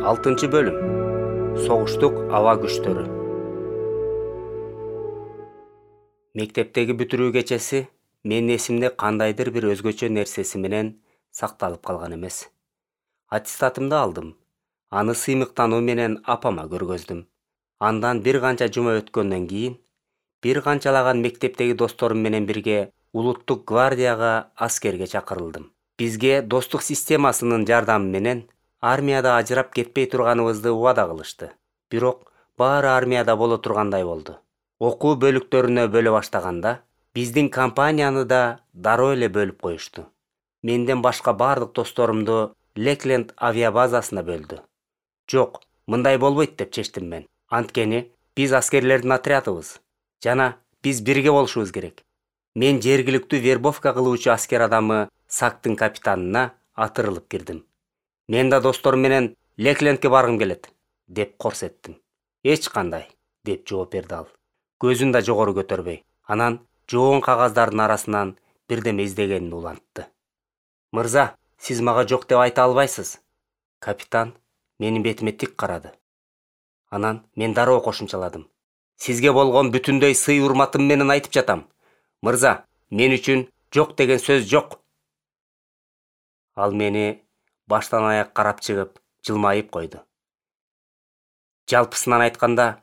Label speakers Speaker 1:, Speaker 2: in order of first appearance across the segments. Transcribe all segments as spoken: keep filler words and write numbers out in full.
Speaker 1: алтынчы бөлүм. Согуштук аба күчтөрү. Мектептеги бүтүрүү кечеси менин эсимде кандайдыр бир өзгөчө нерсеси менен сакталып калган эмес. Аттестатымды алдым. Аны сыймыктануу менен апама көргөздүм. Андан бир канча жума өткөндөн кийин бир канчалаган мектептеги досторум менен бирге улуттук гвардияга аскерге чакырылдым. Бизге достук системасынын жардамы менен армияда ажырап кетпей турганыбызды убада кылышты. Бирок баары армияда боло тургандай болду. Окуу бөлүктөрүнө бөлө баштаганда биздин компанияны да дароо эле бөлүп коюшту. Менден башка бардык досторумду Лекленд авиабазасына бөлдү. Жок, мындай болбойт деп чечтим мен. Анткени биз аскерлердин отрядыбыз жана биз бирге болушубуз керек. Мен жергиликтүү вербовка кылуучу аскер адамы Сактын капитанына атырылып кирдим. Мен да досторум менен Леклендке баргым келет, деп корсеттим. Эч кандай, деп жооп берди ал. Көзүн да жогору көтөрбөй. Анан жоон кагаздардын арасынан бирдеме издегенин улантты. Мырза, сиз мага жок деп айта албайсыз. Капитан менин бетиме тик карады. Анан мен дароо кошумчаладым. Сизге болгон бүтүндөй сый урматым менен айтып жатам. Мырза, мен үчүн жок деген сөз жок. Ал мени баштан аяк карап чыгып, жылмайып койду. Жалпысынан айтканда,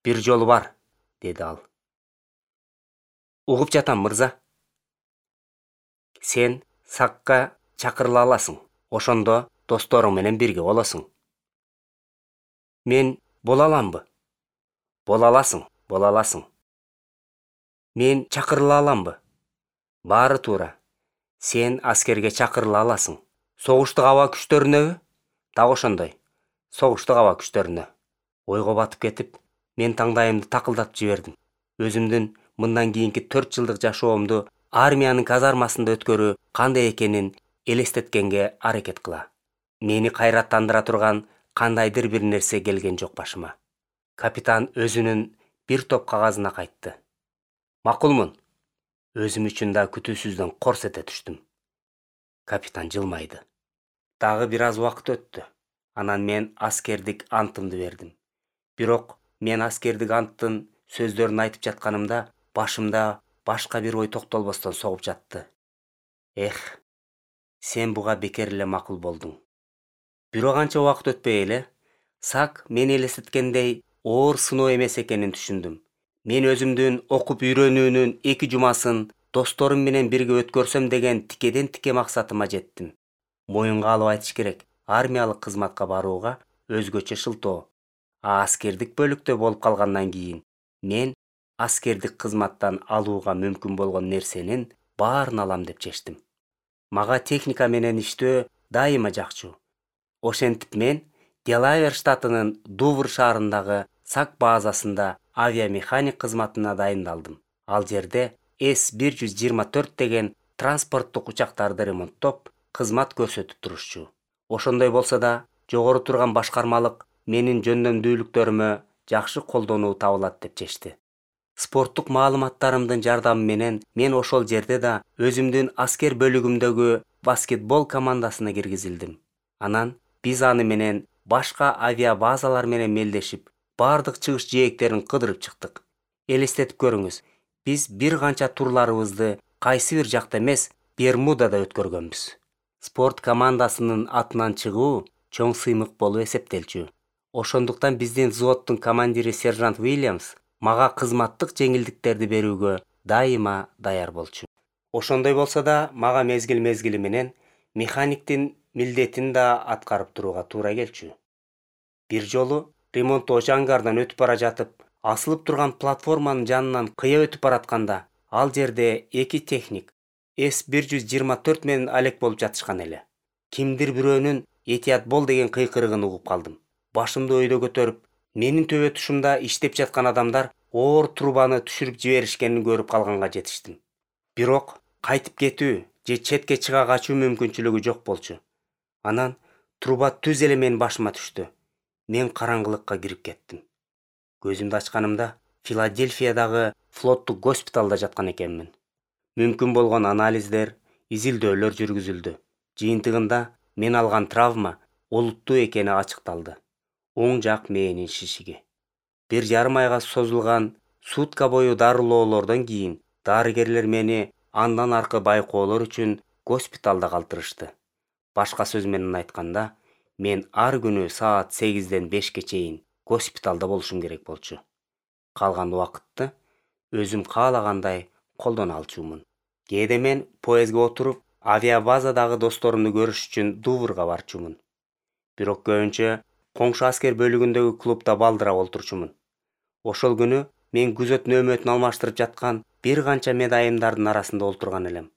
Speaker 1: бир жолу бар, деди ал. Угуп жатам, мырза. Сен Сакка чакырыла аласың. Ошондо досторуң менен бирге болосуң. Мен бола аламбы? Бола аласың, бола аласың. Мен чакырыла аламбы? Баары туура. Сен аскерге чакырыла аласың. Согуштук аба күчтөрүнөбү? Так ошондой. Согуштук аба күчтөрүнө. Ойго батып кетип, мен таңдайымды такылдатып жибердим. Өзүмдүн мындан кийинки төрт жылдык жашоомду армиянын казармасында өткөрүү кандай экенин элестеткенге аракет кыла. Мени кайраттандыра турган кандайдыр бир нерсе келген жок башыма. Капитан өзүнүн бир топ кагазына кайтты. Макулмун. Өзүм үчүн да күтүүсүздөн корс эте түштүм. Капитан жылмайды. Дагы бир аз убакыт өттү. Анан мен аскердик антымды бердим. Бирок мен аскердик анттын сөздөрүн айтып жатканымда башымда башка бир ой токтолбостон согуп жатты. Эх, сен буга бекер эле макул болдуң. Бирок канча убакыт өтпөй эле Сак мени элестеткендей оор сыноо эмес экенин түшүндүм. Мен өзүмдүн окуп үйрөнүүнүн эки жумасын досторум менен бирге өткөрсөм деген тикеден тике максатыма жеттим. Моюнга алып айтыш керек, армиялык кызматка барууга өзгөчө шылтоо. А аскердик бөлүктө болуп калгандан кийин мен аскердик кызматтан алууга мүмкүн болгон нерсенин баарын алам деп чечтим. Мага техника менен иштөө дайыма жакчу. Ошентип мен Делавер штатынын Дувр шаарындагы Сак базасында авиамеханик кызматына дайындалдым. Ал жерде эс бир жүз жыйырма төрт деген транспорттук учактарды ремонттоп, кызмат көрсөтүп турушчу. Ошондой болсо да, жогору турган башкармалык менин жөндөмдүүлүктөрүмө жакшы колдонуу табылат деп чечти. Спорттук маалыматтарымдын жардамы менен мен ошол жерде да өзүмдүн аскер бөлүгүмдөгү баскетбол командасына киргизилдим. Анан биз аны менен башка авиабазалар менен мелдешип, бардык чыгыш жээктерин кыдырып чыктык. Элестетип көрүңүз, биз бир канча турларыбызды кайсы бир жакта эмес, Бермудада өткөргөнбүз. Спорт командасынын атынан чыгуу чоң сыймык болуп эсептелчү. Ошондуктан биздин взводдун командири сержант Уильямс мага кызматтык жеңилдиктерди берүүгө дайыма даяр болчу. Ошондой болсо да, мага мезгил-мезгили менен механиктин милдетин да аткарып турууга туура келчү. Бир жолу ремонттоочу ангардан өтүп бара жатып, асылып турган платформанын жанынан кыя өтүп баратканда, ал жерде эки техник эс бир жүз жыйырма төрт менен алек болуп жатышкан эле. Кимдир бирөөнүн этият бол деген кыйкырыгын угуп калдым. Башымды өйдө көтөрүп, менин төбө тушумда иштеп жаткан адамдар оор трубаны түшүрүп жиберишкенин көрүп калганга жетиштим. Бирок кайтып кетүү же четке чыга качуу мүмкүнчүлүгү жок болчу. Анан труба түз эле менин башыма түштү. Мен караңгылыкка кирип кеттим. Көзүмдү ачканымда Филадельфиядагы флоттук госпиталда жаткан экенмин. Мүмкүн болгон анализдер, изилдөөлөр жүргүзүлдү. Жыйынтыгында мен алган травма олуттуу экени ачыкталды. оң жак мээнин шишиги. Бир жарым айга созулган сутка бою дарылоолордон кийин дарыгерлер мени андан аркы байкоолор үчүн госпиталда калтырышты. Башка сөз менен айтканда, мен ар күнү саат сегизден бешке чейин госпиталда болушум керек болчу. Калган убакытты өзүм каалагандай колдоно алчумун. Кээде мен поездге отуруп, авиабазадагы досторумду көрүш үчүн Дуврга барчумун. Бирок көбүнчө коңшу аскер бөлүгүндөгү клубда балдырап олтурчумун. Ошол күнү мен күзөт нөөмөтүн алмаштырып жаткан бир канча медайымдардын арасында олтурган элем.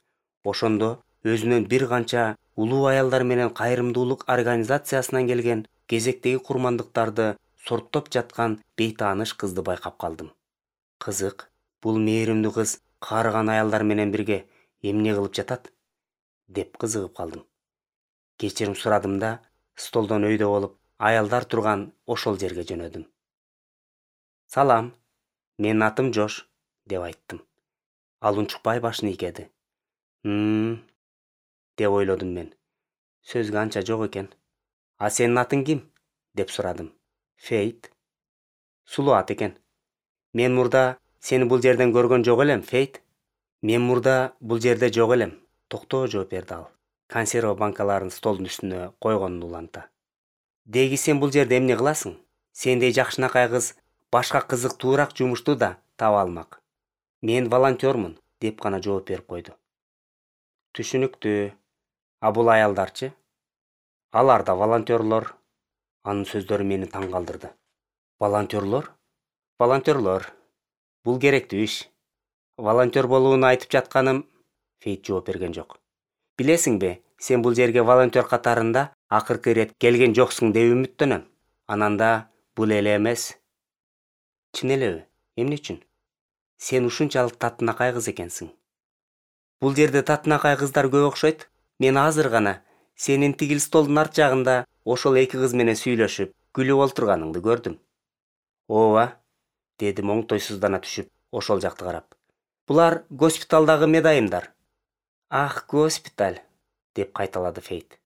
Speaker 1: Ошондо өзүнөн бир канча улуу аялдар менен кайрымдуулук организациясынан келген кезектеги курмандыктарды сорттоп жаткан бейтааныш кызды байкап калдым. Кызык, бул мээримдүү кыз каарыган аялдар менен бирге эмне кылып жатат деп кызыгып калдым. Кечирим сурадым да, столдон өйдө болуп, аялдар турган ошол жерге жөнөдүм. Салам, менин атым Жош, деп айттым. Ал унчукпай башын ийкеди. Хм, деп ойлодум мен. Сөзгө анча жок экен. А сенин атың ким? деп сурадым. Фейт. Сулуу ат экен. Мен мурда сени бул жерден көргөн жок элем, Фейт. Мен мурда бул жерде жок элем. Токтоо, жооп берди ал. Консерва банкаларын столдун үстүнө койгонун уланта. Деги сен бул жерде эмне кыласың? Сендей жакшынакай кыз башка кызыктуураак жумушту да таба алмак. Мен волонтёрмун, деп гана жооп берип койду. Түшүнүктүү. А бул аялдарчы? Алар да волонтёрлор. Анын сөздөрү мени таң калтырды. Волонтёрлор? Волонтёрлор. Бул керектүү иш. Волонтёр болууну айтып жатканым, Фейт жооп берген жок. Билесиңби, сен бул жерге волонтёр катарында акыркы ирет келген жоксуң деп үмүттөнөм. Ананда бул эле эмес. Чын элеби? Эмне үчүн? Сен ушунчалык татынакай кыз экенсиң. Бул жерде татынакай кыздар көп окшойт. Мен азыр гана сенин тигил столдун арт жагында ошол эки кыз менен сүйлөшүп, күлүп олтурганыңды көрдүм. Ооба, дедим оңтойсуздана түшүп, ошол жакты карап. Булар госпиталдагы медайымдар. Ах, госпиталь, деп кайталады Фейт.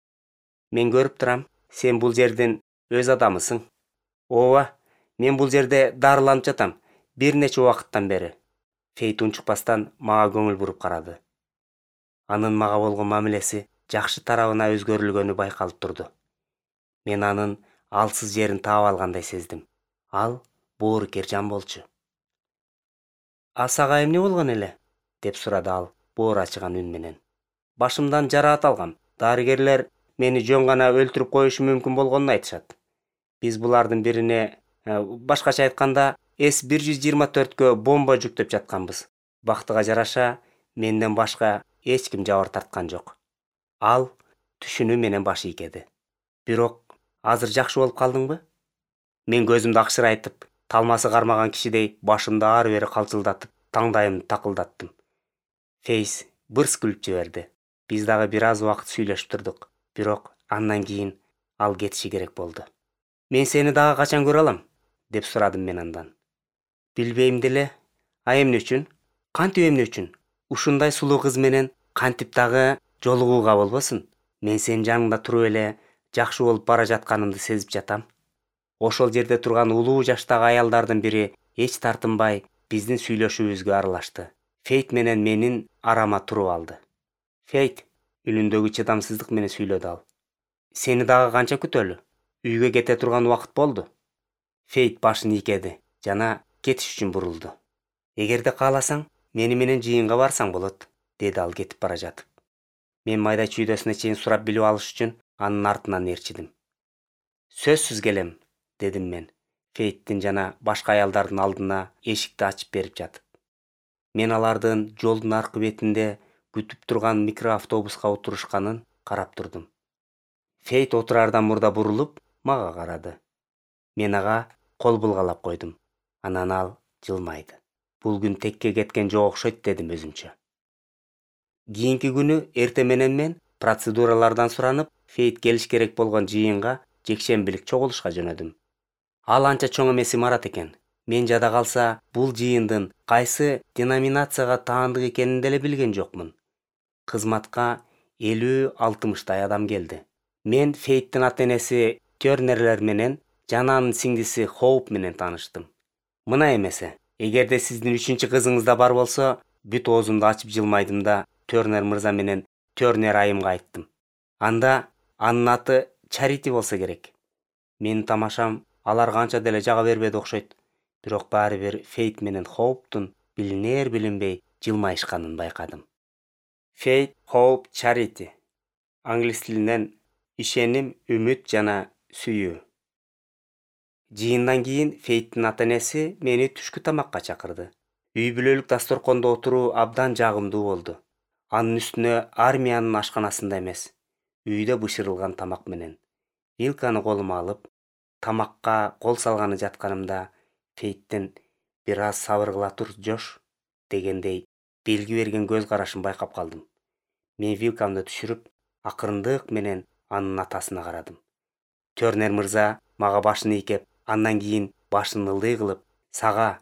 Speaker 1: Мен көрүп турам, сен бул жердин өз адамысың. Ооба, мен бул жерде дарыланып жатам, бир нече убакыттан бери. Фейт унчукпастан мага көңүл буруп карады. Анын мага болгон мамилеси жакшы тарабына өзгөрүлгөнү байкалып турду. Мен анын алсыз жерин таап алгандай сездим. Ал боорукер жан болчу. А сага эмне болгон эле? деп сурады ал боор ачыган үн менен. Башымдан жараат алгам. Дарыгерлер мени жөн гана өлтүрүп коюшу мүмкүн болгонун айтышат. Биз булардын бирине, башкача айтканда, эс бир жүз жыйырма төрткө бомба жүктөп жатканбыз. Бактыга жараша, менден башка эч ким жабыр тарткан жок. Ал түшүнүү менен баш ийкеди. Бирок азыр жакшы болуп калдыңбы? Мен көзүмдү акшырайтып, талмасы кармаган кишидей башымды ары-бери калчылдатып, таңдайымды такылдаттым. Фейс бырс күлүп жиберди. Биз дагы бир аз убакыт сүйлөшүп турдук. Бирок андан кийин ал кетиши керек болду. Мен сени дагы качан көрө алам? деп сурадым мен андан. Билбейм деле. А эмне үчүн? Кантип эмне үчүн? Ушундай сулуу кыз менен кантип дагы жолугууга болбосун? Мен сенин жаныңда туруп эле жакшы болуп бара жатканымды сезип жатам. Ошол жерде турган улуу жаштагы аялдардын бири эч тартынбай биздин сүйлөшүүбүзгө аралашты. Фейт менен менин арама туруп алды. Фейт, үнүндөгү чыдамсыздык менен сүйлөдү ал. Сени дагы канча күтөлү? Үйгө кете турган убакыт болду. Фейт башын ийкеди жана кетиш үчүн бурулду. Эгерде кааласаң, мени менен жыйынга барсаң болот, деди ал кетип бара жатып. Мен майда чүйдөсүнө чейин сурап билип алыш үчүн анын артынан ээрчидим. Сөзсүз келем, дедим мен, Фейттин жана башка аялдардын алдына эшикти ачып берип жатып. Мен алардын жолдун аркы бетинде күтүп турган микроавтобуска отурушканын карап турдум. Фейт отурардан мурда бурулуп, мага карады. Мен ага кол булгалап койдум. Анан ал жылмайды. Бул күн текке кеткен жок окшойт, дедим өзүмчө. Кийинки күнү эртең менен мен процедуралардан суранып, Фейт келиш керек болгон жыйынга жекшембилик чогулушка жөнөдүм. Ал анча чоң эмес имарат экен. Мен жада калса, бул жыйындын кайсы деноминацияга таандык экенин деле билген жокмун. Кызматка элүү алтымыштай адам келди. Мен Фейттин ата-энеси Тернерлер менен жана анын сиңдиси Хоуп менен тааныштым. Мына эмесе, эгерде сиздин үчүнчү кызыңыз да бар болсо, бүт оозумду ачып жылмайдым да Тернер мырза менен Тернер айымга айттым. Анда анын аты Чарити болсо керек. Менин тамашам аларга анча деле жага бербеди окшойт. Бирок баары бир Фейт менен Хоуптун билинер билинбей жылмайышканын байкадым. Фейт, Хоуп, Чарити. Англис тилинен ишеним, үмүт жана сүйүү. Жыйындан кийин Фейттин ата-энеси мени түшкү тамакка чакырды. Үй бүлөлүк дасторкондо отуруу абдан жагымдуу болду. Анын үстүнө армиянын ашканасында эмес, үйдө бышырылган тамак менен. Вилканы колума алып, тамакка кол салганы жатканымда Фейттин бир аз сабыр кыла тур, Жош дегендей белги берген көз карашын байкап калдым. Мен вилкамды түшүрүп, акырындык менен анын атасына карадым. Тернер мырза мага башын ийкеп, андан кийин башын ылдый кылып, сага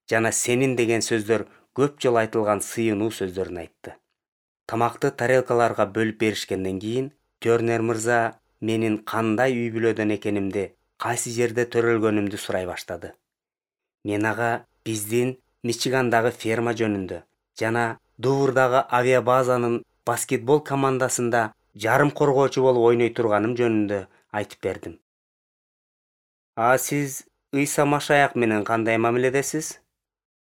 Speaker 1: жана сенин деген сөздөр көп жолу айтылган сыйынуу сөздөрүн айтты. Тамакты тарелкаларга бөлүп беришкенден кийин Тернер мырза менин кандай үй бүлөдөн экенимди, кайсы жерде төрөлгөнүмдү сурай баштады. Мен ага биздин Мичигандагы ферма жөнүндө жана Дуврдагы авиабазанын баскетбол командасында жарым коргоочу болуп ойной турганым жөнүндө айтып бердим. А сиз Ыйса Машаяк менен кандай мамиледесиз?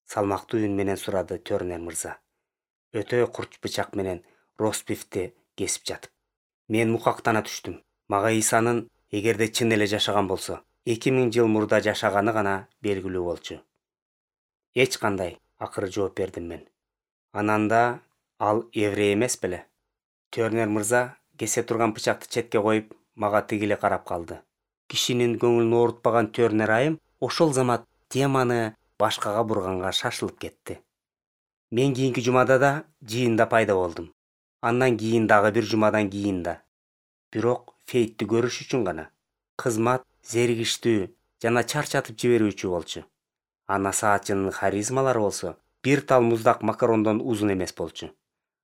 Speaker 1: Салмактуу үн менен сурады Тернер мырза. Өтө курч бычак менен ростбифти кесип жатып. Мен мукактана түштүм. Мага Ыйсанын эгерде чын эле жашаган болсо, эки миң жыл мурда жашаганы гана белгилүү болчу. Эч кандай, акыры жооп бердим мен. Ананда ал еврей эмес беле? Тернер мырза кесе турган бычакты четке коюп, мага тигиле карап калды. Кишинин көңүлүн оорутпаган Тернер айым ошол замат теманы башкага бурганга шашылып кетти. Мен кийинки жумада да жыйында пайда болдум. Андан кийин дагы бир жумадан кийин да. Бирок Фейтти көрүш үчүн гана. Кызмат зеригиштүү жана чарчатып жиберүүчү болчу. Ана саатчынын харизмалары болсо бир тал муздак макарондон узун эмес болчу.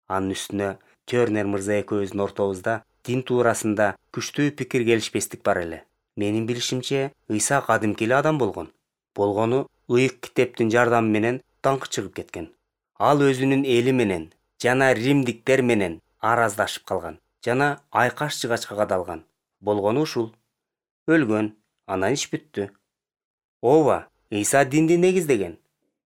Speaker 1: Анын үстүнө Тернер мырза экөөбүздүн ортобузда дин туурасында күчтүү пикир келишпестик бар эле. Менин билишимче, Ыйса кадимки эле адам болгон. Болгону ыйык китептин жардамы менен даңкы чыгып кеткен. Ал өзүнүн эли менен жана римдиктер менен араздашып калган жана айкаш жыгачка кадалган. Болгону ушул. Өлгөн, анан иш бүттү. Ооба, Ыйса динди негиздеген.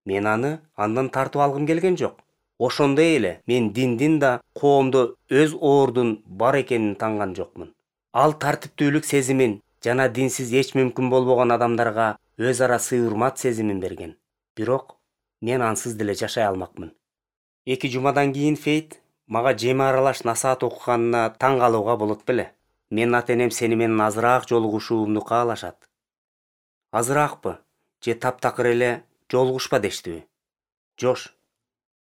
Speaker 1: Мен аны андан тартып алгым келген жок. Ошондой эле мен диндин да коомдо өз ордун бар экенин танган жокмун. Ал тартиптүүлүк сезимин жана динсиз эч мүмкүн болбогон адамдарга өз ара сый-урмат сезимин берген. Бирок мен ансыз деле жашай алмакмын. Эки жумадан кийин Фейт мага жеме аралаш насаат окуганына таң калууга болот беле? Менин ата-энем сени менен азыраак жолугушуумду каалашат. Азыраакпы? Же таптакыр эле жолугушпа дештиби? Жош,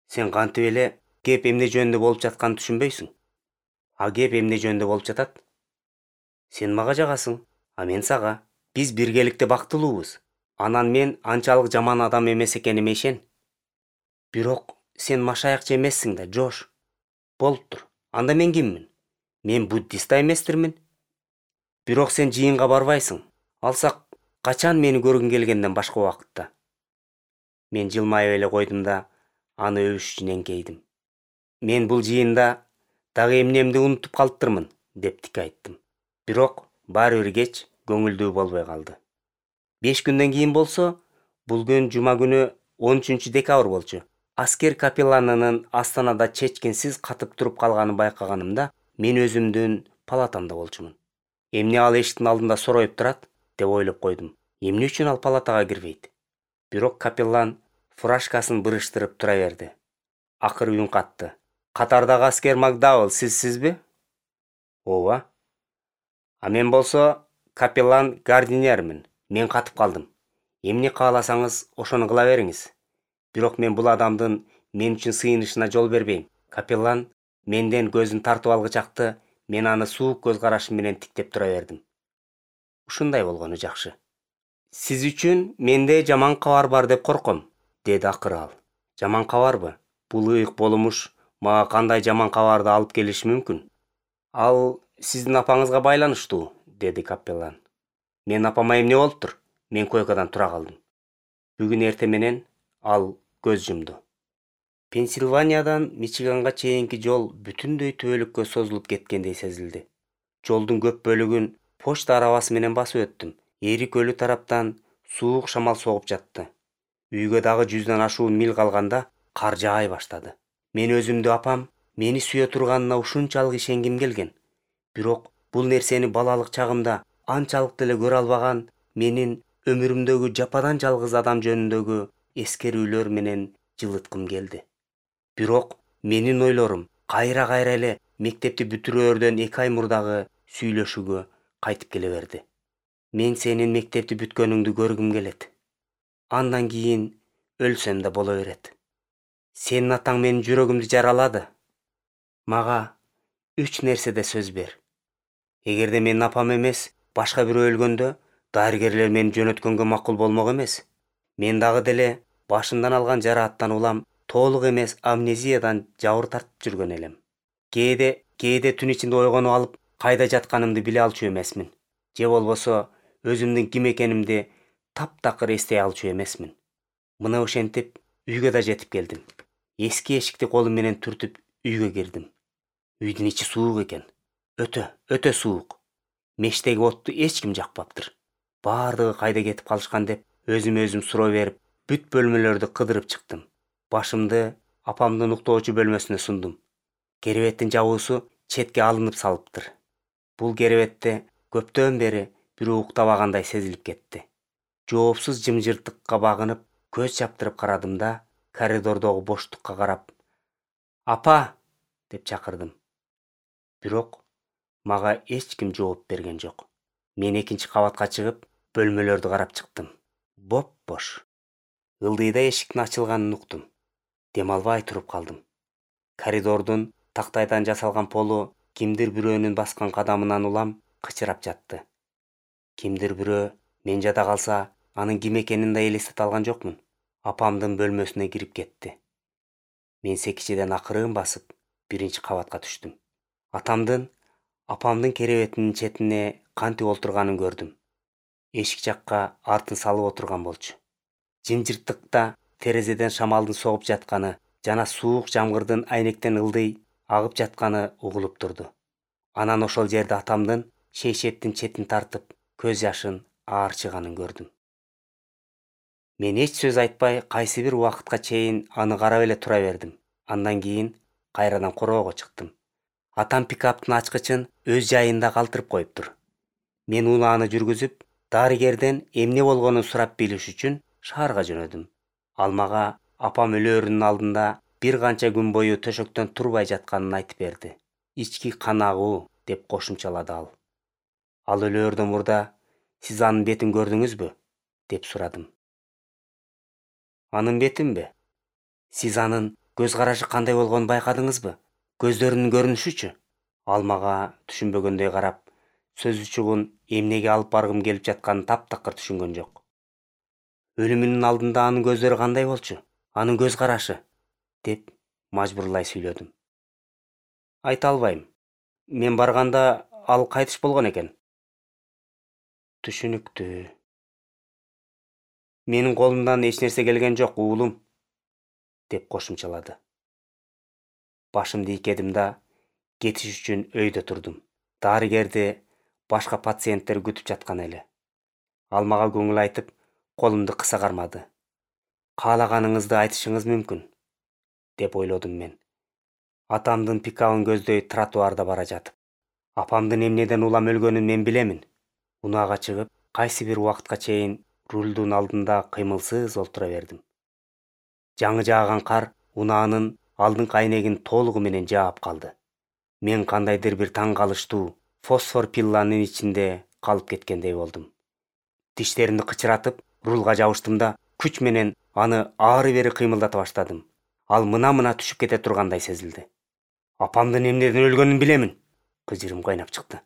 Speaker 1: сен кантип эле кеп эмне жөнүндө болуп жатканын түшүнбөйсүң? А кеп эмне жөнүндө болуп жатат? Сен мага жагасың, а мен сага. Биз биргеликте бактылуубуз. Анан мен анчалык жаман адам эмес экениме ишен. Бирок сен машаякчы эмессиң да, Жош. Болуптур. Анда мен киммин? Мен буддист да эместирмин. Бирок сен жыйынга барбайсың. Алсак качан мени көргүң келгенден башка убакытта? Мен жылмайып эле койдум да аны өбүш үчүн эңкейдим. Мен бул жыйында дагы эмнемди унутуп калыптырмын, деп тик айттым. Бирок баары бир кеч көңүлдүү болбой калды. Беш күндөн кийин болсо, бул күн жума күнү он үчүнчү декабрь болчу. Аскер капелланынын астанада чечкинсиз катып туруп калганын байкаганымда, мен өзүмдүн палатамда болчумун. Эмне ал эшиктин алдында сороюп турат, деп ойлоп койдум. Эмне үчүн ал палатага кирбейт? Бирок капеллан фуражкасын бырыштырып тура берди. Акыры үн катты. Катардагы аскер Макдауэлл сизсизби? Ооба. А мен болсо капеллан Гардинермин. Мен катып калдым. Эмне кааласаңыз ошону кыла бериңиз. Бирок мен бул адамдын мен үчүн сыйынышына жол бербейм. Капеллан менден көзүн тартып алгычакты, мен аны суук көз карашым менен тиктеп тура бердим. Ушундай болгону жакшы. Сиз үчүн менде жаман кабар бар деп корком, деди акыры ал. Жаман кабарбы? Бул ыйык болумуш мага кандай жаман кабарды алып келиши мүмкүн? Ал сиздин апаңызга байланыштуу, деди капеллан. Мен апама эмне болуптур? Мен койкадан тура калдым. Бүгүн эрте менен ал көз жумду. Пенсильваниядан Мичиганга чейинки жол бүтүндөй түбөлүккө созулуп кеткендей сезилди. Жолдун көп бөлүгүн почта арабасы менен басып өттүм. Эри көлү тараптан суук шамал согуп жатты. Үйгө дагы жүздөн ашуун миль калганда кар жаай баштады. Мен өзүмдү апам мени сүйө турганына ушунчалык ишенгим келген. Бирок бул нерсени балалык чагымда анчалык деле көрө албаган менин өмүрүмдөгү жападан жалгыз адам жөнүндөгү эскерүүлөр менен жылыткым келди. Бирок менин ойлорум кайра-кайра эле мектепти бүтүрөөрдөн эки ай мурдагы сүйлөшүүгө кайтып келе берди. Мен сенин мектепти бүткөнүңдү көргүм келет. Андан кийин өлсөм да боло берет. Сенин атаң менин жүрөгүмдү жаралады. Мага үч нерседе сөз бер. Эгерде менин апам эмес, башка бирөө өлгөндө, дарыгерлер мени жөнөткөнгө макул болмок эмес. Мен дагы деле башымдан алган жарааттан улам толук эмес амнезиядан жабыр тартып жүргөн элем. Кээде, кээде түн ичинде ойгонуп алып, кайда жатканымды биле алчу эмесмин. Же болбосо өзүмдүн ким экенимди таптакыр эстей алчу эмесмин. Мына ошентип үйгө да жетип келдим. Эски эшикти колум менен түртүп үйгө кирдим. Үйдүн ичи суук экен. Өтө, өтө суук. Мештеги отту эч ким жакпаптыр. Баардыгы кайда кетип калышкан деп өзүмө өзүм суроо берип, бүт бөлмөлөрдү кыдырып чыктым. Башымды апамдын уктоочу бөлмөсүнө сундум. Керебеттин жабуусу четке алынып салыптыр. Бул керебетте көптөн бери бирөө уктабагандай сезилип кетти. Жоопсуз жымжырттыкка багынып, көз чаптырып карадым да, коридордогу боштукка карап, "Апа!" деп чакырдым. Бирок мага эч ким жооп берген жок. Мен экинчи кабатка чыгып, бөлмөлөрдү карап чыктым. Боп-бош. Ылдыйда эшиктин ачылганын уктум. Дем албай туруп калдым. Коридордун тактайдан жасалган полу кимдир бирөөнүн баскан кадамынан улам кычырап жатты. Кимдир бирөө мен жада калса, анын ким экенин да элестете алган жокмун. Апамдын бөлмөсүнө кирип кетти. Мен секичеден акырын басып, биринчи кабатка түштүм. Атамдын, апамдын керебетинин четине кантип олтурганын көрдүм. Эшик жакка артын салып отурган болчу. Жымжырттыкта терезеден шамалдын согуп жатканы жана суук жамгырдын айнектен ылдый агып жатканы угулуп турду. Анан ошол жерде атамдын шейшеттин четин тартып, көз жашын аарчыганын көрдүм. Мен эч сөз айтпай, кайсы бир убакытка чейин аны карап эле тура бердим. Андан кийин кайрадан короого чыктым. Атам пикаптын ачкычын өз жайында калтырып коюптур. Мен унааны жүргүзүп, дарыгерден эмне болгонун сурап билиш үчүн шаарга жөнөдүм. Ал мага апам өлөөрүнүн алдында бир канча күн бою төшөктөн турбай жатканын айтып берди. Ички кан агуу деп кошумчалады ал. Ал өлөөрдөн мурда сиз анын бетин көрдүңүзбү? Деп сурадым. Анын бетинби? Сиз анын көз карашы кандай болгонун байкадыңызбы? Көздөрүнүн көрүнүшүчү? Ал мага түшүнбөгөндөй карап, сөз учугун эмнеге алып баргым келип жатканын таптакыр түшүнгөн жок. Өлүмүнүн алдында анын көздөрү кандай болчу? Анын көз карашы? Деп мажбурлай сүйлөдүм. Айта албайм. Мен барганда ал кайтыш болгон экен. Түшүнүктүү. Менин колумдан эч нерсе келген жок, уулум, деп кошумчалады. Башымды ийкедим да, кетиш үчүн өйдө турдум. Дарыгерди башка пациенттер күтүп жаткан эле. Ал мага көңүл айтып, колумду кыса кармады. Каалаганыңызды айтышыңыз мүмкүн, деп ойлодум мен. Атамдын пикабын көздөй тротуарда бара жатып. Апамдын эмнеден улам өлгөнүн мен билемин. Унаага чыгып, кайсы бир убакытка чейин рулдун алдында кыймылсыз олтура бердим. Жаңы жааган кар унаанын алдыңкы айнегин толугу менен жаап калды. Мен кандайдыр бир таң калыштуу фосфор пилланын ичинде калып кеткендей болдум. Тиштеримди кычыратып, рулга жабыштым да, күч менен аны ары-бери кыймылдата баштадым. Ал мына-мына түшүп кете тургандай сезилди. Апамдын эмнеден өлгөнүн билемин. Кыжырым кайнап чыкты.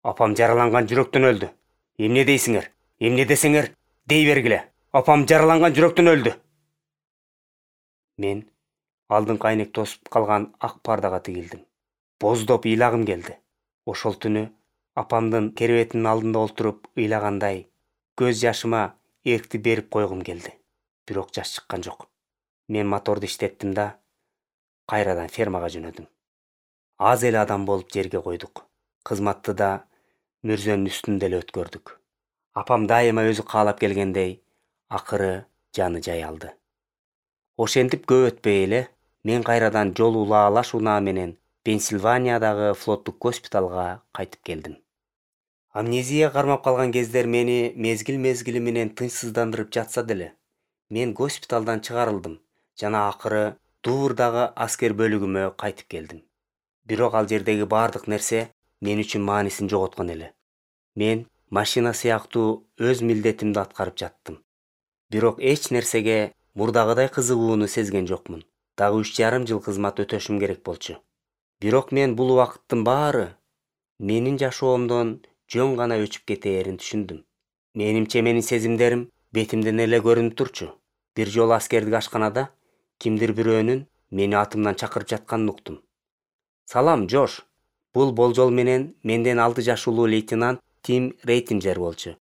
Speaker 1: Апам жараланган жүрөктөн өлдү. Эмне дейсиңер? Эмне десеңер, дей бергиле. Апам жараланган жүрөктөн өлдү. Мен алдыңкы айнек тосуп калган ак пардага тигилдим. Боздоп ыйлагым келди. Ошол түнү Апамдын керебетинин алдында отуруп ыйлагандай көз жашыма эркти берип койгум келди. Бирок жаш чыккан жок. Мен моторду иштеттим да кайрадан фермага жөнөдүм. Аз эле адам болуп жерге койдук. Кызматты да мөрзөнүн үстүндө эле өткөрдүк. Апам дайыма өзү каалап келгендей акыры жаны жай алды. Ошентип көп өтпөй эле мен кайрадан жол улаалаш унаа менен Пенсильваниядагы флоттук госпиталга кайтып келдим. Амнезия кармап калган кездер мени мезгил-мезгили менен тынчсыздандырып жатса деле, мен госпиталдан чыгарылдым жана акыры Дуврдагы аскер бөлүгүмө кайтып келдим. Бирок ал жердеги бардык нерсе мен үчүн маанисин жоготкон эле. Мен машина сыяктуу өз милдетимди аткарып жаттым. Бирок эч нерсеге мурдагыдай кызыгууну сезген жокмун. Дагы үч жарым жыл кызмат өтөшүм керек болчу. Бирок мен бул убакыттын баары менин жашоомдон жөн гана өчүп кетээрин түшүндүм. Менимче менин сезимдерим бетимден эле көрүнүп турчу. Бир жолу аскердик ашканада кимдир бирөөнүн мени атымдан чакырып жатканын уктум. Салам, Жош. Бул болжол менен менден алты жаш улуу лейтенант Тим Рейтинджер болчу.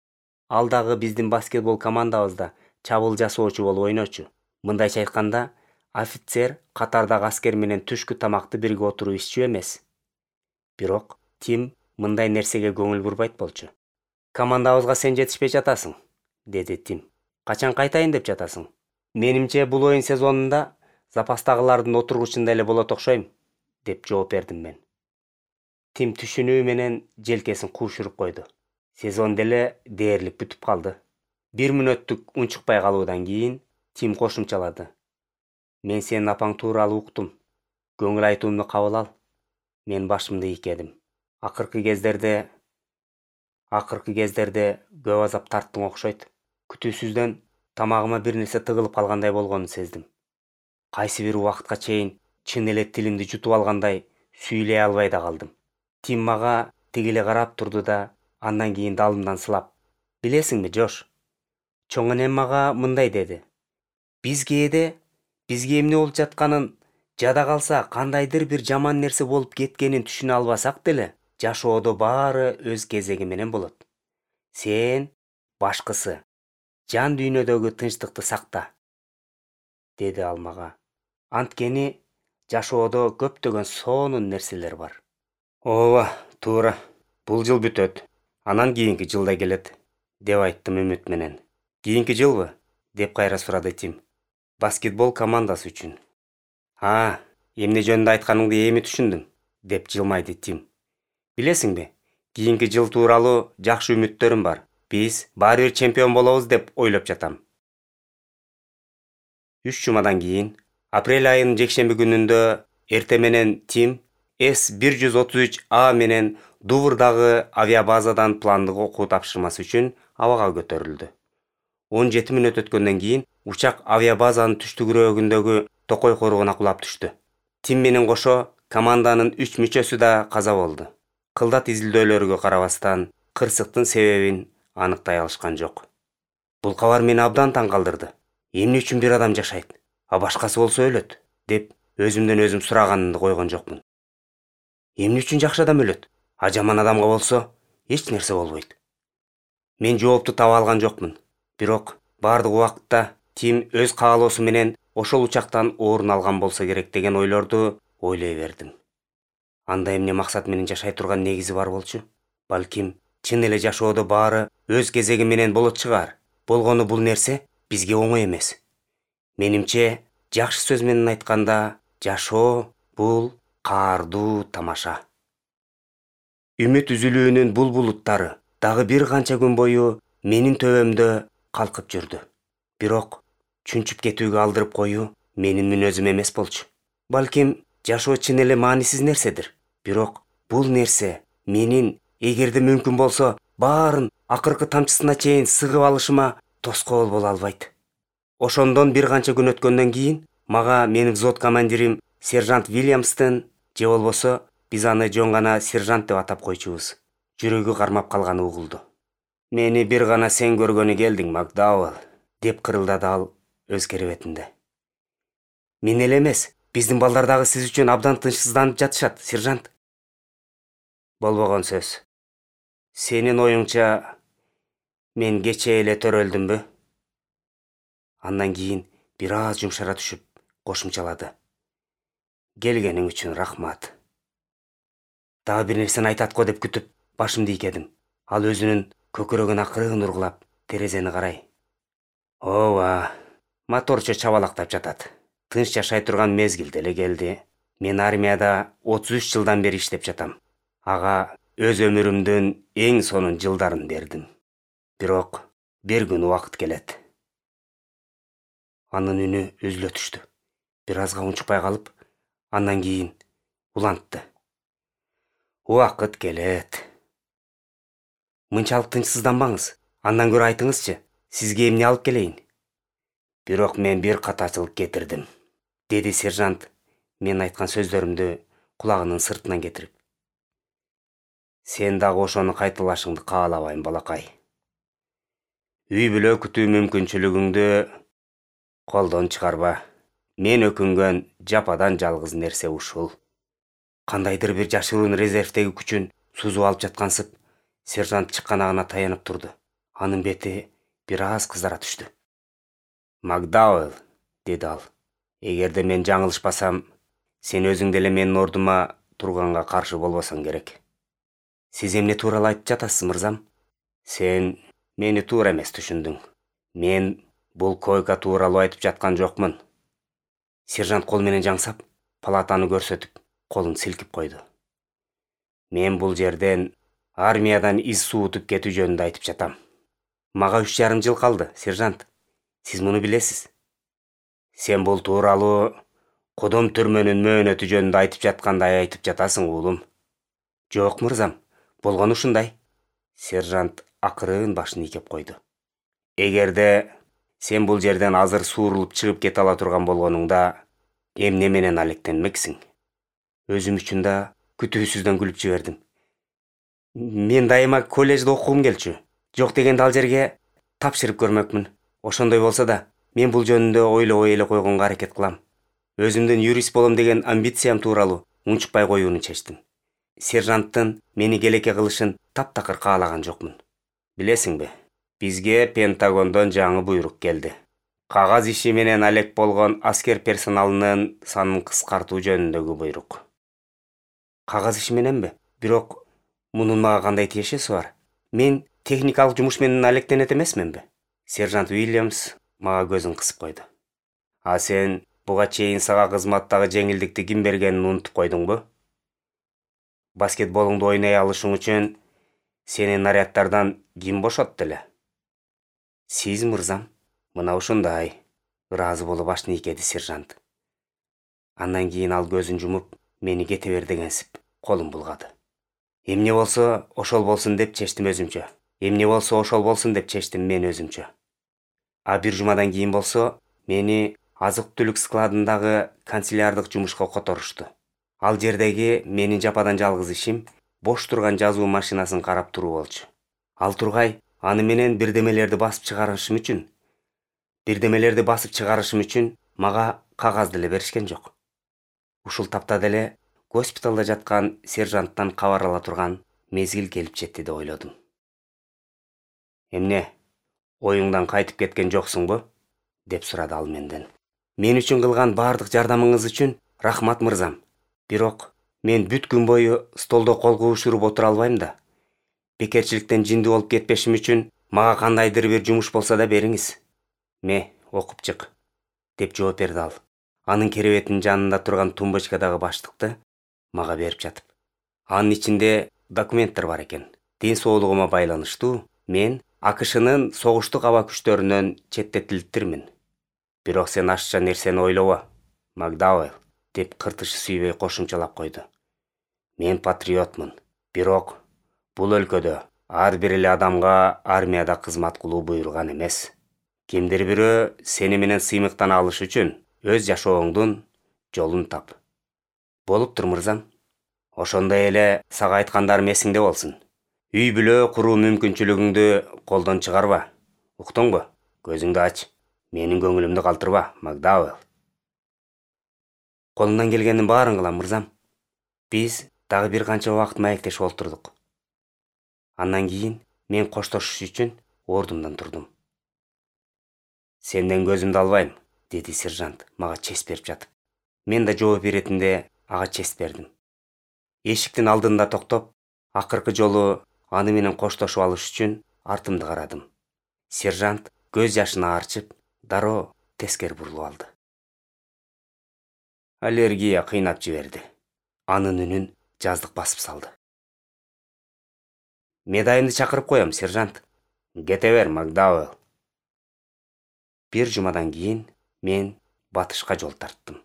Speaker 1: Ал дагы биздин баскетбол командабызда чабуул жасоочу болуп ойночу. Мындайча айтканда, офицер катардагы аскер менен түшкү тамакты бирге отуруп иччү эмес. Бирок Тим мындай нерсеге көңүл бурбайт болчу. Командабызга сен жетишпей жатасың, деди Тим. Качан кайтайын деп жатасың? Менимче бул оюн сезонунда запастагылардын отургучунда эле болот окшойм, деп жооп бердим мен. Тим түшүнүү менен желкесин куушуруп койду. Сезон деле дээрлик бүтүп калды. Бир мүнөттүк унчукпай калуудан кийин Тим кошумчалады. Мен сенин апаң тууралуу уктум. Көңүл айтуумду кабыл ал. Мен башымды ийкедим. Акыркы кездерде акыркы кездерде көп азап тарттың окшойт. Күтүүсүздөн тамагыма бир нерсе тыгылып калгандай болгонун сездим. Кайсы бир убакытка чейин чын эле тилимди жутуп алгандай сүйлөй албай да калдым. Тим мага тигиле карап турду да андан кийин далымдан сылап: "Билесиңби, Жош?" Чоң энем мага мындай деди: "Биз кээде бизге эмне болуп жатканын, жада калса кандайдыр бир жаман нерсе болуп кеткенин түшүнө албасак деле, жашоодо баары өз кезеги менен болот. Сен башкысы жан дүйнөдөгү тынчтыкты сакта", деди ал мага. Анткени жашоодо көптөгөн сонун нерселер бар. Ооба, туура. Бул жыл бүтөт. Анан кийинки жыл да келет, деп айттым үмүт менен. Кийинки жылбы? Деп кайра сурады Тим. Баскетбол командасы үчүн. А, эмне жөнүндө айтканыңды эми түшүндүм, деп жылмайды Тим. Билесиңби, кийинки жыл тууралуу жакшы үмүттөрүм бар. Биз баары бир чемпион болобуз деп ойлоп жатам. Үч жумадан кийин, апрель айынын жекшемби күнүндө эртең менен Тим эс бир жүз отуз үч А менен Дуврдагы авиабазадан пландык окуу тапшырмасы үчүн абага көтөрүлдү. он жети мүнөт өткөндөн кийин учак авиабазанын түштүгүрөгүндөгү токой коругуна кулап түштү. Тим менен кошо команданын үч мүчөсү да каза болду. Кылдат изилдөөлөргө карабастан, кырсыктын себебин аныктай алышкан жок. Бул кабар мени абдан таң калтырды. Эмне үчүн бир адам жашайт, а башкасы болсо өлөт, деп өзүмдөн өзүм сураганымды койгон жокмун. Эмне үчүн жакшы адам өлөт, а жаман адамга болсо эч нерсе болбойт? Мен жоопту таба алган жокмун. Бирок бардык убакытта Тим өз каалоосу менен ошол учактан орун алган болсо керек деген ойлорду ойлой бердим. Анда эмне максат менен жашай турган негизи бар болчу? Балким чын эле жашоодо баары өз кезеги менен болот чыгар. Болгону бул нерсе бизге оңой эмес. Менимче, жакшы сөз менен айтканда, жашоо бул каардуу тамаша. Үмүт үзүлүүнүн бул булуттары дагы бир канча күн бою менин төбөмдө калкып жүрдү. Бирок чүнчүп кетүүгө алдырып коюу менин мүнөзүм эмес болчу. Балким жашоо чын эле маанисиз нерседир. Бирок бул нерсе менин эгерде мүмкүн болсо баарын акыркы тамчысына чейин сыгып алышыма тоскоол боло албайт. Ошондон бир канча күн өткөндөн кийин мага менин взвод командирим сержант Вильямстын, же болбосо биз аны жөн гана сержант деп атап койчубуз, жүрөгү кармап калганы угулду. "Мени бир гана сен көргөнү келдиң, Макдауэлл", деп кырылдады ал өз керебетинде. "Мен эле эмес, биздин балдар дагы сиз үчүн абдан тынчсызданып жатышат, сержант." Болбогон сөз. Сенин оюңча мен кечээ эле төрөлдүмбү? Андан кийин бир аз жумшара түшүп кошумчалады. Келгениң үчүн рахмат. Дагы бир нерсени айтат го деп күтүп башымды ийкедим. Ал өзүнүн көкүрөгүн акырын ургулап терезени карай. Ооба, моторчу чабалактап жатат. Тынч жашай турган мезгил деле келди. Мен армияда отуз үч жылдан бери иштеп жатам. Ага өз өмүрүмдүн эң сонун жылдарын бердим. Бирок бир күн убакыт келет. Анын үнү үзүлө түштү. Бир азга унчукпай калып, андан кийин улантты. Убакыт келет. Мынчалык тынчсызданбаңыз. Андан көрө айтыңызчы, сизге эмне алып келейин? Бирок мен бир катачылык кетирдим, деди сержант мен айткан сөздөрүмдү кулагынын сыртынан кетирип. Сен дагы ошону кайталашыңды каалабайм, балакай. Үй бүлө күтүү мүмкүнчүлүгүңдү колдон чыгарба. Мен өкүнгөн жападан жалгыз нерсе ушул. Кандайдыр бир жашыруун резервдеги күчүн сузуп алып жаткансып, сержант чыкканагына таянып турду. Анын бети бир аз кызара түштү. Макдауэлл, деди ал. Эгерде мен жаңылышпасам, сен өзүң деле менин ордума турганга каршы болбосоң керек. Сиз эмне тууралуу айтып жатасыз, мырзам? Сен мени туура эмес түшүндүң. Мен бул койка тууралуу айтып жаткан жокмун. Сержант кол менен жаңсап, палатаны көрсөтүп, колун силкип койду. Мен бул жерден армиядан из суутуп кетүү жөнүндө айтып жатам. Мага үч жарым жыл калды, сержант. Сиз муну билесиз. Сен бул тууралуу Кудум түрмөнүн мөөнөтү жөнүндө айтып жаткандай айтып жатасың, уулум. Жок, мырзам, болгону ушундай. Сержант акырын башын ийкеп койду. Эгерде сен бул жерден азыр суурулуп чыгып кете ала турган болгонуңда, эмне менен алектенмексиң? Өзүм үчүн да күтүүсүздөн күлүп жибердим. Мен дайыма коллежде окугум келчү. Жок дегенде ал жерге тапшырып көрмөкмүн. Ошондой болсо да, мен бул жөнүндө ойлобой эле койгонго аракет кылам. Өзүмдүн юрист болом деген амбициям тууралуу унчукпай коюуну чечтим. Сержанттын мени келеке кылышын таптакыр каалаган жокмун. Билесиңби, бизге Пентагондон жаңы буйрук келди. Кагаз иши менен алек болгон аскер персоналынын санын кыскартуу жөнүндөгү буйрук. Кагаз иши мененби? Бирок мунун мага кандай тиешеси бар? Мен техникалык жумуш менен алектенет эмесминби? Сержант Уильямс мага көзүн кысып койду. А сен буга чейин сага кызматтагы жеңилдикти ким бергенин унутуп койдуңбу? Баскетболуңду ойной алышың үчүн сени наряддардан ким бошотту эле? Сиз, мырзам. Мына ушундай. Ыраазы болуп башын ийкеди сержант. Андан кийин ал көзүн жумуп, мени кете бер дегенсип, колун булгады. Эмне болсо, ошол болсун деп чечтим өзүмчө. Эмне болсо, ошол болсун деп чечтим мен өзүмчө. А бир жумадан кийин болсо, мени азык-түлүк складындагы канцелярдык жумушка которушту. Ал жердеги менин жападан жалгыз ишим бош турган жазуу машинасын карап туруу болчу. Ал тургай аны менен бирдемелерди басып чыгарышым үчүн, бирдемелерди басып чыгарышым үчүн мага кагаз деле беришкен жок. Ушул тапта деле госпиталда жаткан сержанттан кабар ала турган мезгил келип жетти деп ойлодум. Эмне, оюңдан кайтып кеткен жоксуңбу? Деп сурады ал менден. Мен үчүн кылган бардык жардамыңыз үчүн рахмат, мырзам. Бирок мен бүт күн бою столдо кол куушуруп отура албайм да. Бекерчиликтен жинди болуп кетпешим үчүн мага кандайдыр бир жумуш болсо да бериңиз. Ме, окуп чык, деп жооп берди ал. Анын керебетинин жанында турган тумбочкадагы баштыкты мага берип жатып. Анын ичинде документтер бар экен. Ден соолугума байланыштуу мен АКШнын согуштук аба күчтөрүнөн четтетилиптирмин. Бирок сен ашча нерсени ойлобо, Макдауэлл, деп кыртышы сүйбөй кошумчалап койду. Мен патриотмун. Бирок бул өлкөдө ар бир эле адамга армияда кызмат кылуу буйрулган эмес. Кимдир бирөө сени менен сыймыктана алыш үчүн өз жашооңдун жолун тап. Болуптур, мырзам. Ошондой эле сага айткандарым эсиңде болсун. Үй бүлө куруу мүмкүнчүлүгүңдү колдон чыгарба. Уктуңбу? Көзүңдү ач. Менин көңүлүмдү калтырба, Макдауэлл. Колумдан келгенин баарын кылам, мырзам. Биз дагы бир канча убакыт маектешип олтурдук. Андан кийин мен коштошуш үчүн ордумдан турдум. Сенден көзүмдү албайм, деди сержант мага чест берип жатып. Мен да жооп беретинде ага чест бердим. Эшиктин алдында токтоп, акыркы жолу аны менен коштошуп алыш үчүн артымды карадым. Сержант көз жашын аарчып, дароо тескери бурулуп алды. Аллергия кыйнап жиберди. Анын үнүн жаздык басып салды. Медайымды чакырып коем, сержант. Кете бер, Макдауэлл. Бир жумадан кийин мен батышка жол тарттым.